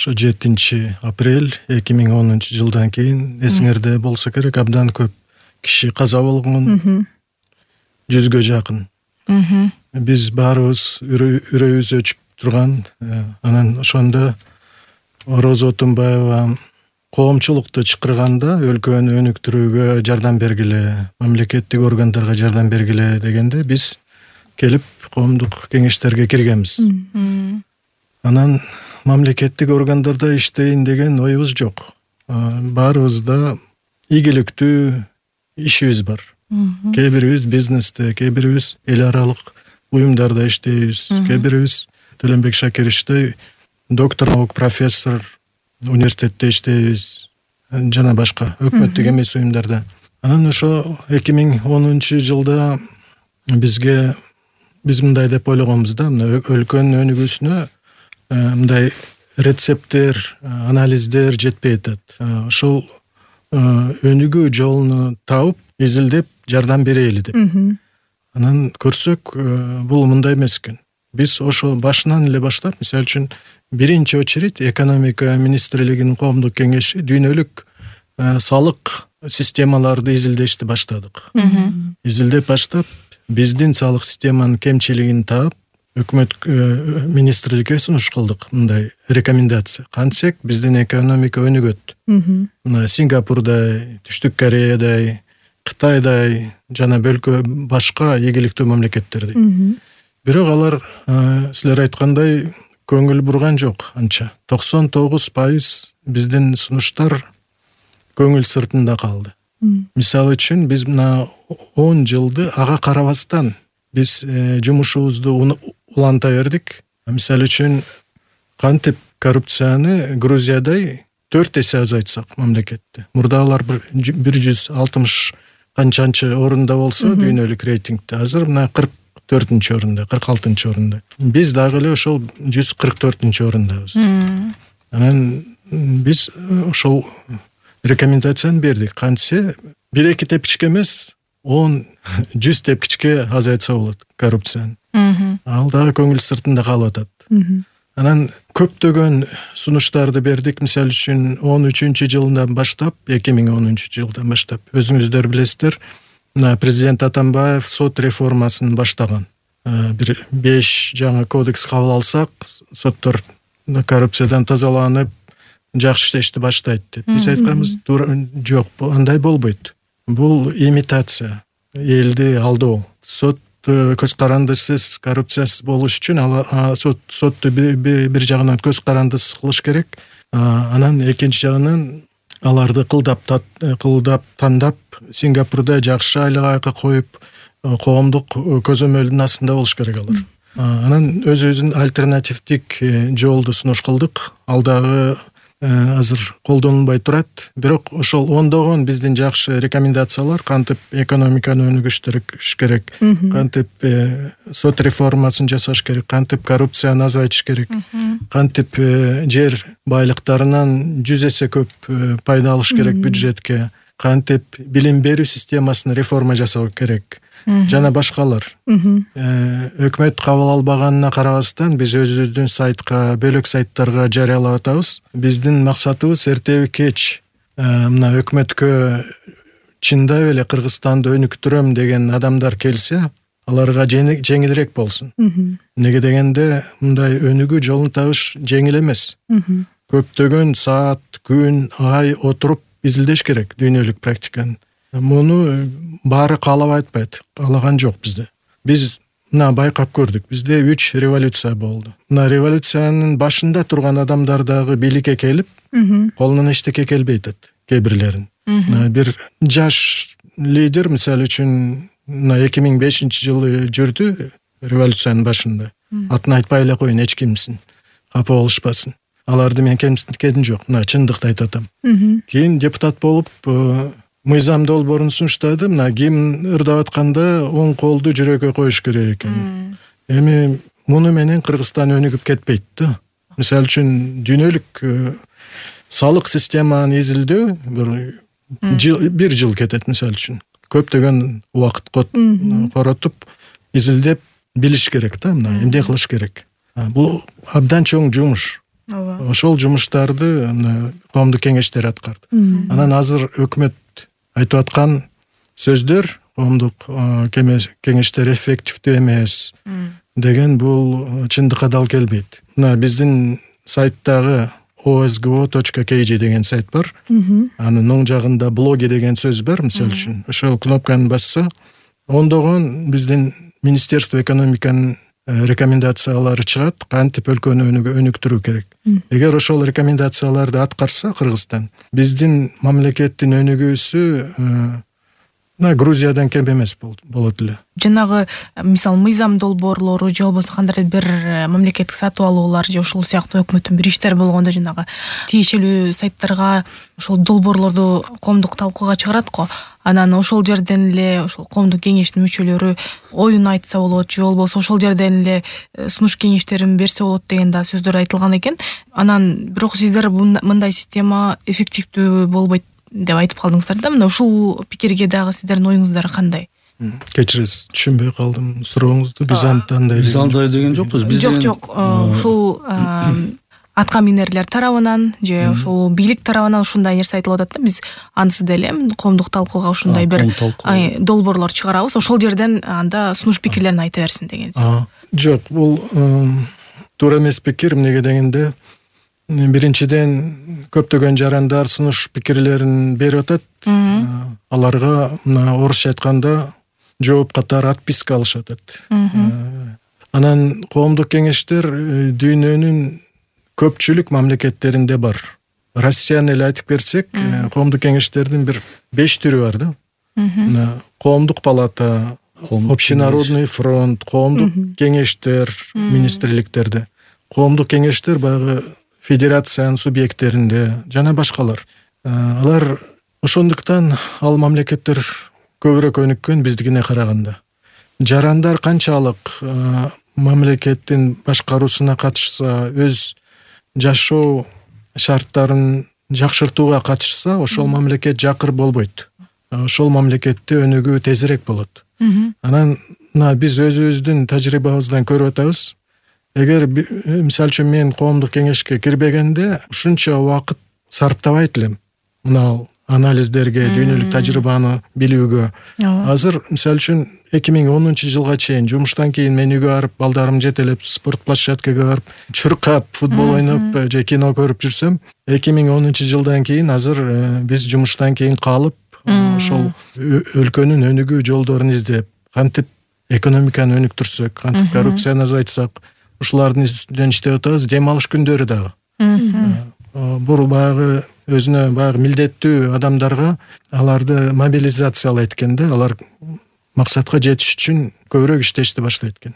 ошо 7-апрель 2010-жылдан кийин эсиңерде болсо керек, абдан көп киши каза болгон, 100гө жакын. Биз баарыбыз үрөйүбүз өчүп турган. Анан ошондо Роза Отунбаева коомчулукту чакырганда өлкөнү өнүктүрүүгө жардам бергиле, мамлекеттик органдарга жардам бергиле дегенде биз келип коомдук кеңештерге киргенбиз. Анан мамлекеттик органдарда иштейин деген оюбуз жок. Баарыбызда ийгиликтүү ишибиз бар. Кээ бирибиз бизнесте, кээ бирибиз эл аралык уюмдарда иштейбиз, кээ бирибиз Төлөнбек Шакировичтей доктор наук, профессор, университетте иштейбиз, жана башка өкмөттүк эмес уюмдарда. Анан ошо 2010-жылда биз мындай деп ойлогонбуз да, өлкөнүн өнүгүүсүнө мындай рецепттер, анализдер жетпей атат. Ошол өнүгүү жолун таап, изилдеп жардам берели деп. Анан көрсөк, бул мындай эмес экен. Биз ошо башынан эле баштап, мисалы үчүн, биринчи очередь экономика министрлигинин коомдук кеңеши дүйнөлүк салык системаларды изилдешти баштадык. Изилдеп баштап, биздин салык системанын кемчилигин таап, өкмөт министрликке сунуш кылдык, мындай рекомендация. Кантсек биздин экономика өнүгөт. Мына Сингапурдай, Түштүк Кореядай, Кытайдай жана башка ийгиликтүү мамлекеттердей. Бирок алар силер айткандай көңүл бурган жок анча. 99% биздин сунуштар көңүл сыртында калды. Мисалы үчүн, биз мына 10 жылды ага карабастан биз жумушубузду уланта бердик. Мисалы үчүн, кантип коррупцияны Грузиядай 4 эсе азайтсак мамлекетте. Мурда алар 160 канчанчы орунда болсо дүйнөлүк рейтингде, азыр мына 44-чү орунда, 46-чы орунда. Биз дагы эле ошол 144-чү орундабыз. Анан биз ошол рекомендацияны бердик. Кантсе 1-2 тепкичке эмес, 10-100 тепкичке азайтса болот коррупцияны. Ал дагы көңүл сыртында калып атат. Анан көптөгөн сунуштарды бердик. Мисалы үчүн 13-жылдан баштап, 2010-жылдан баштап, өзүңүздөр билесиздер, президент Атамбаев сот реформасын баштаган. Бир 5 жаңы кодекс кабыл алсак, соттор коррупциядан тазаланып, жакшы иштешти баштайт деп. Биз айтканбыз, жок, андай болбойт. Бул имитация, элди алдоо. Сот көз карандысыз, коррупциясыз болуш үчүн сотту бир жагынан көз карандысыз кылыш керек. Анан экинчи жагынан аларды кылдап тандап, Сингапурда жакшы айлык коюп, коомдук көзөмөлдүн астында болуш керек алар. Анан өзүбүздүн альтернативдик жолду сунуш кылдык. Ал дагы азыр колдонулбай турат. Бирок ошол ондогон биздин жакшы рекомендациялар, кантип экономиканы өнүгүштүрүш керек, кантип сот реформасын жасаш керек, кантип коррупцияны азайтыш керек, кантип жер байлыктарынан 100 эсе көп пайда алыш керек бюджетке, кантип билим берүү системасын реформа жасоо керек, жана башкалар. Өкмөт кабыл албаганына карабастан биз өзүбүздүн сайтка, бөлөк сайттарга жарыялап атабыз. Биздин максатыбыз эртеби кеч мына өкмөткө чындап эле Кыргызстанды өнүктүрөм деген адамдар келсе, аларга жеңилирээк болсун. Неге дегенде, мындай өнүгүү жолун табыш жеңил эмес. Көптөгөн саат, күн, ай отуруп изилдеш керек дүйнөлүк практиканы. Муну баары каалабай атпайт, каалаган жок бизде. Биз мына байкап көрдүк, бизде 3 революция болду. Мына революциянын башында турган адамдар дагы бийликке келип, колунан эчтеке келбей атат, кээ бирлерин. Бир жаш лидер, мисалы үчүн, 2005-жылы жүрдү революциянын башында. Атын айтпай эле коеюн, эч кимсин, капа болушпасын. Аларды мен кемсинткеним жок, мына чындыкты айтып атам. Кийин депутат болуп, мыйзам долбоорун сунуштады. Мына гимн ырдап атканда оң колду жүрөккө коюш керек экен. Эми муну менен Кыргызстан өнүгүп кетпейт да. Мисалы үчүн дүйнөлүк салык системаны изилдөө бир жыл кетет, мисалы үчүн. Көптөгөн убакыт коротуп, изилдеп билиш керек да, мына эмне кылыш керек. Бул абдан чоң жумуш. Ооба. Ошол жумуштарды коомдук кеңештер аткарды. Анан азыр өкмөт айтып аткан сөздөр коомдук кеңештер эффективдүү эмес деген бул чындыкка дал келбейт. Мына биздин сайттагы osgo.kg деген сайт бар. Анын оң жагында блоги деген сөз бар, мисалы үчүн. Ошол кнопканы басса, ондогон биздин Министерство экономиканын рекомендациялары чыгат, кантип өлкөнү өнүктүрүү керек. Эгер ошол рекомендацияларды аткарса Кыргызстан, биздин мамлекеттин өнүгүүсү Грузиядан кем эмес болот эле. Жанагы мисалы мыйзам долбоорлору же болбосо кандайдыр бир мамлекеттик сатып алуулар же ошол сыяктуу өкмөттүн бир иштери болгондо жанагы тиешелүү сайттарга ошол долбоорлорду коомдук талкууга чыгарат го. Анан ошол жерден эле ошол коомдук кеңештин мүчөлөрү оюн айтса болот же болбосо ошол жерден эле сунуш кеңештерин берсе болот деген да сөздөр айтылган экен. Анан бирок сиздер мындай система эффективдүү болбойт деп айтып калдыңыздар да. Мына ушул пикирге дагы сиздердин оюңуздар кандай? Кечиресиз, түшүнбөй калдым сурооңузду. Биз андай деген жокпуз. Жок. Ушул атка минерлер тарабынан же ошол бийлик тарабынан ушундай нерсе айтылып атат да. Биз анысы деле коомдук талкууга ушундай бир долбоорлор чыгарабыз. Ошол жерден анда сунуш пикирлерин айта берсин деген. Жок, бул туура эмес пикир. Эмнеге дегенде, биринчиден көптөгөн жарандар сунуш пикирлерин берип атат. Аларга мына орусча айтканда жооп катары отписка алышат. Анан коомдук кеңештер дүйнөнүн көпчүлүк мамлекеттеринде бар. Россияны эле айтып берсек, коомдук кеңештердин бир 5 түрү бар да. Коомдук палата, общенародный фронт, коомдук кеңештер, министрликтерде. Коомдук кеңештер баягы федерациянын субъекттеринде жана башкалар. Алар ошондуктан ал мамлекеттер көбүрөөк өнүккөн биздикине караганда. Жарандар канчалык мамлекеттин башкаруусуна катышса, өз жашоо шарттарын жакшыртууга катышса, ошол мамлекет жакыр болбойт. Ошол мамлекетте өнүгүү тезирээк болот. Анан биз өзүбүздүн тажрыйбабыздан көрүп атабыз. Эгер мисалы үчүн мен коомдук кеңешке кирбегенде ушунча убакыт сарптабайт элем. Мына анализдерге, дүйнөлүк тажрыйбаны билүүгө. Азыр мисалы үчүн 2010-жылга чейин жумуштан кийин мен үйгө барып, балдарымды жетелеп, спорт площадкага барып, чуркап, футбол ойноп же кино көрүп жүрсөм, 2010-жылдан кийин азыр биз жумуштан кийин калып, ошол өлкөнүн өнүгүү жолдорун издеп, кантип экономиканы өнүктүрсөк, кантип коррупцияны азайтсак, ушулардын үстүнөн иштеп атабыз. Дем алыш күндөрү дагы. Бул баягы өзүнө баягы милдеттүү адамдарга аларды мобилизациялайт экен да. Алар максатка жетиш үчүн көбүрөөк иштешти баштайт экен.